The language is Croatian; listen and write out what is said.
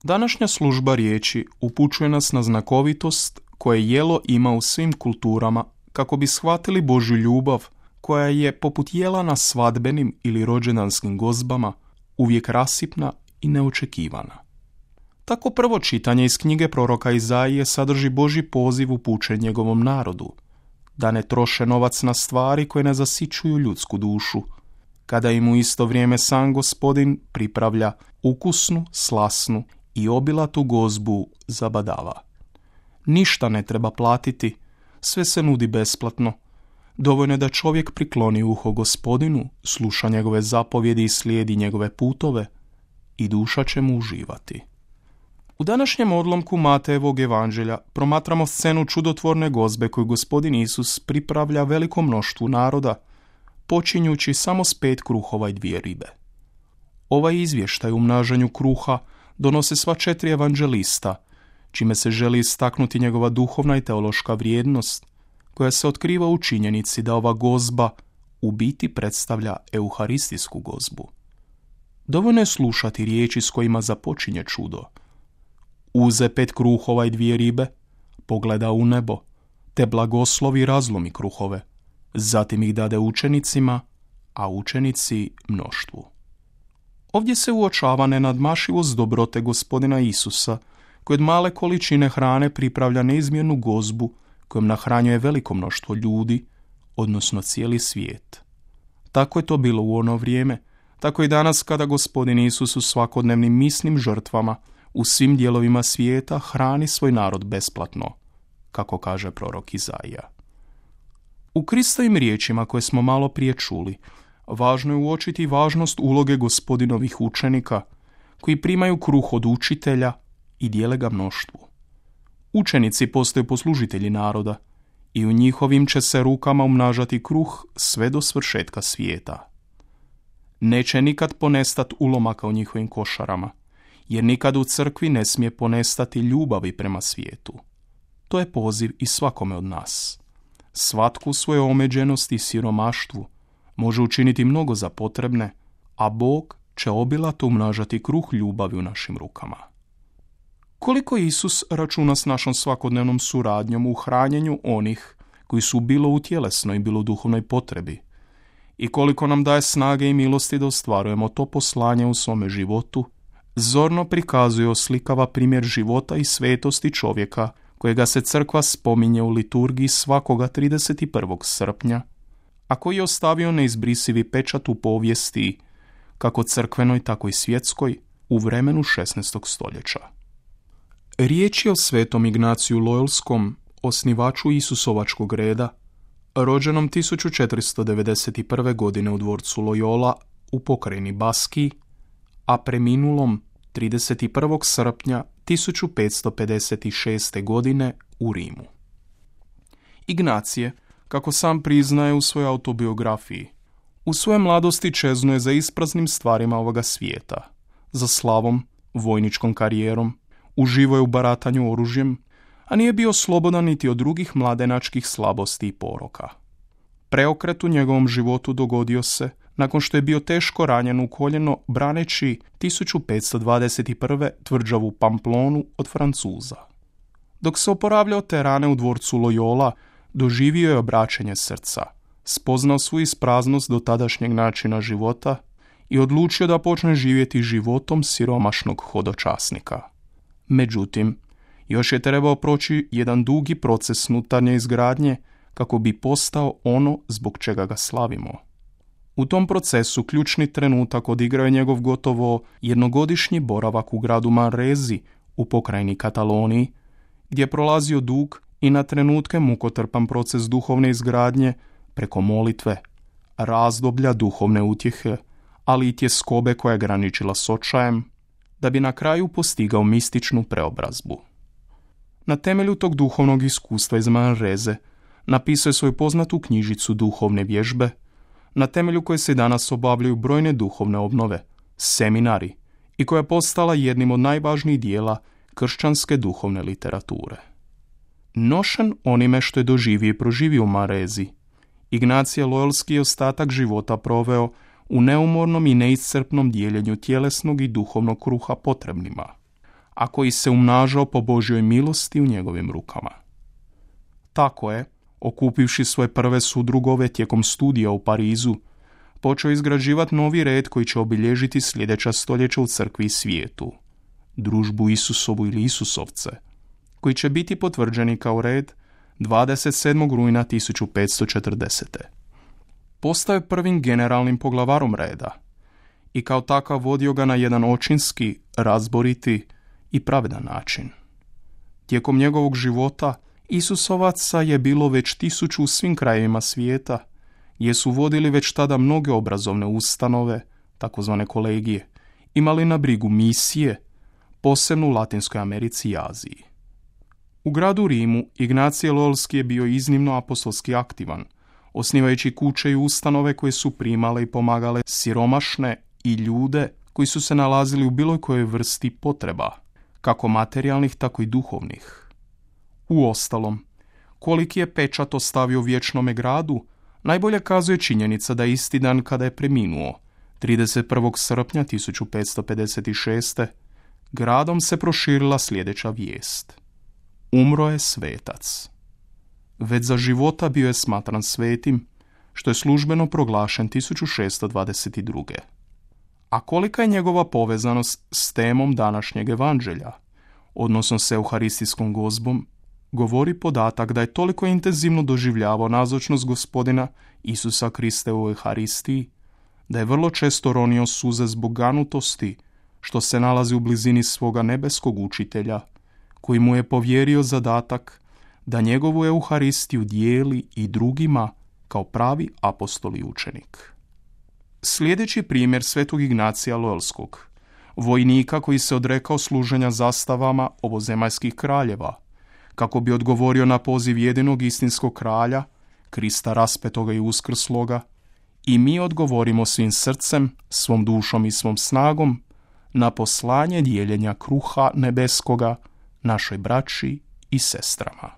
Današnja služba riječi upućuje nas na znakovitost koje jelo ima u svim kulturama kako bi shvatili Božju ljubav koja je, poput jela na svadbenim ili rođendanskim gozbama, uvijek rasipna i neočekivana. Tako prvo čitanje iz knjige proroka Izaije sadrži Božji poziv upućen njegovom narodu, da ne troše novac na stvari koje ne zasićuju ljudsku dušu, kada im u isto vrijeme sam Gospodin pripravlja ukusnu, slasnu i obilatu gozbu zabadava. Ništa ne treba platiti, sve se nudi besplatno. Dovoljno je da čovjek prikloni uho Gospodinu, sluša njegove zapovjedi i slijedi njegove putove i duša će mu uživati. U današnjem odlomku Matejevog evanđelja promatramo scenu čudotvorne gozbe koju Gospodin Isus pripravlja velikom mnoštvu naroda, počinjući samo s 5 kruhova i 2 ribe. Ovaj izvještaj u mnaženju kruha donose sva 4 evanđelista, čime se želi istaknuti njegova duhovna i teološka vrijednost, koja se otkriva u činjenici da ova gozba u biti predstavlja euharistijsku gozbu. Dovoljno je slušati riječi s kojima započinje čudo. Uze 5 kruhova i 2 ribe, pogleda u nebo, te blagoslovi i razlomi kruhove, zatim ih dade učenicima, a učenici mnoštvu. Ovdje se uočava nenadmašivost dobrote Gospodina Isusa, koji od male količine hrane pripravlja neizmjernu gozbu kojom nahranjuje veliko mnoštvo ljudi, odnosno cijeli svijet. Tako je to bilo u ono vrijeme, tako i danas kada Gospodin Isus u svakodnevnim misnim žrtvama u svim dijelovima svijeta hrani svoj narod besplatno, kako kaže prorok Izaija. U Kristovim riječima koje smo malo prije čuli, važno je uočiti važnost uloge Gospodinovih učenika, koji primaju kruh od učitelja i dijele ga mnoštvu. Učenici postaju poslužitelji naroda i u njihovim će se rukama umnažati kruh sve do svršetka svijeta. Neće nikad ponestati ulomaka u njihovim košarama, jer nikad u crkvi ne smije ponestati ljubavi prema svijetu. To je poziv i svakome od nas. Svatko u svojoj omeđenosti i siromaštvu može učiniti mnogo za potrebne, a Bog će obilato umnažati kruh ljubavi u našim rukama. Koliko Isus računa s našom svakodnevnom suradnjom u hranjenju onih koji su bilo u tjelesnoj, bilo u duhovnoj potrebi, i koliko nam daje snage i milosti da ostvarujemo to poslanje u svome životu, zorno prikazuje oslikava primjer života i svetosti čovjeka kojega se crkva spominje u liturgiji svakoga 31. srpnja, a koji je ostavio neizbrisivi pečat u povijesti, kako crkvenoj, tako i svjetskoj, u vremenu 16. stoljeća. Riječ je o svetom Ignaciju Loyolskom, osnivaču Isusovačkog reda, rođenom 1491. godine u dvorcu Loyola u pokrajini Baskiji, a preminulom 31. srpnja 1556. godine u Rimu. Ignacije, kako sam priznaje u svojoj autobiografiji, u svojoj mladosti čeznuje za ispraznim stvarima ovoga svijeta, za slavom, vojničkom karijerom, uživo je u baratanju oružjem, a nije bio slobodan niti od drugih mladenačkih slabosti i poroka. Preokret u njegovom životu dogodio se nakon što je bio teško ranjen u koljeno braneći 1521. tvrđavu Pamplonu od Francuza. Dok se oporavljao te rane u dvorcu Loyola, doživio je obraćenje srca, spoznao svoju ispraznost do tadašnjeg načina života i odlučio da počne živjeti životom siromašnog hodočasnika. Međutim, još je trebao proći jedan dugi proces unutarnje izgradnje kako bi postao ono zbog čega ga slavimo. U tom procesu ključni trenutak odigrao je njegov gotovo jednogodišnji boravak u gradu Manresi u pokrajini Kataloniji, gdje je prolazio dug i na trenutke mukotrpan proces duhovne izgradnje preko molitve, razdoblja duhovne utjehe, ali i tjeskobe koja je graničila s očajem, da bi na kraju postigao mističnu preobrazbu. Na temelju tog duhovnog iskustva iz Manrese napisao je svoju poznatu knjižicu Duhovne vježbe, na temelju koje se danas obavljaju brojne duhovne obnove, seminari, i koja je postala jednim od najvažnijih dijela kršćanske duhovne literature. Nošen onime što je doživio i proživio u Manresi, Ignacije Loyolski je ostatak života proveo u neumornom i neiscrpnom dijeljenju tjelesnog i duhovnog kruha potrebnima, a koji se umnažao po Božjoj milosti u njegovim rukama. Tako je, okupivši svoje prve sudrugove tijekom studija u Parizu, počeo izgrađivati novi red koji će obilježiti sljedeća stoljeća u crkvi i svijetu, družbu Isusovu ili Isusovce, koji će biti potvrđeni kao red 27. rujna 1540. Postao je prvim generalnim poglavarom reda i kao takav vodio ga na jedan očinski, razboriti i pravedan način. Tijekom njegovog života Isusovaca je bilo već 1000 u svim krajevima svijeta, gdje su vodili već tada mnoge obrazovne ustanove, takozvane kolegije, imali na brigu misije, posebno u Latinskoj Americi i Aziji. U gradu Rimu Ignacije Loyolski je bio iznimno apostolski aktivan, osnivajući kuće i ustanove koje su primale i pomagale siromašne i ljude koji su se nalazili u bilo kojoj vrsti potreba, kako materijalnih, tako i duhovnih. Uostalom, koliki je pečat ostavio vječnome gradu, najbolje kazuje činjenica da isti dan kada je preminuo, 31. srpnja 1556. gradom se proširila sljedeća vijest. Umro je svetac. Već za života bio je smatran svetim, što je službeno proglašen 1622. A kolika je njegova povezanost s temom današnjeg evanđelja, odnosno s euharistijskom gozbom, govori podatak da je toliko intenzivno doživljavao nazočnost Gospodina Isusa Krista u Euharistiji, da je vrlo često ronio suze zbog ganutosti što se nalazi u blizini svoga nebeskog učitelja, koji mu je povjerio zadatak da njegovu Euharistiju dijeli i drugima kao pravi apostol i učenik. Sljedeći primjer svetog Ignacija Loyolskog, vojnika koji se odrekao služenja zastavama ovozemaljskih kraljeva, kako bi odgovorio na poziv jedinog istinskog kralja, Krista raspetoga i uskrsloga, i mi odgovorimo svim srcem, svom dušom i svom snagom na poslanje dijeljenja kruha nebeskoga našoj braći i sestrama.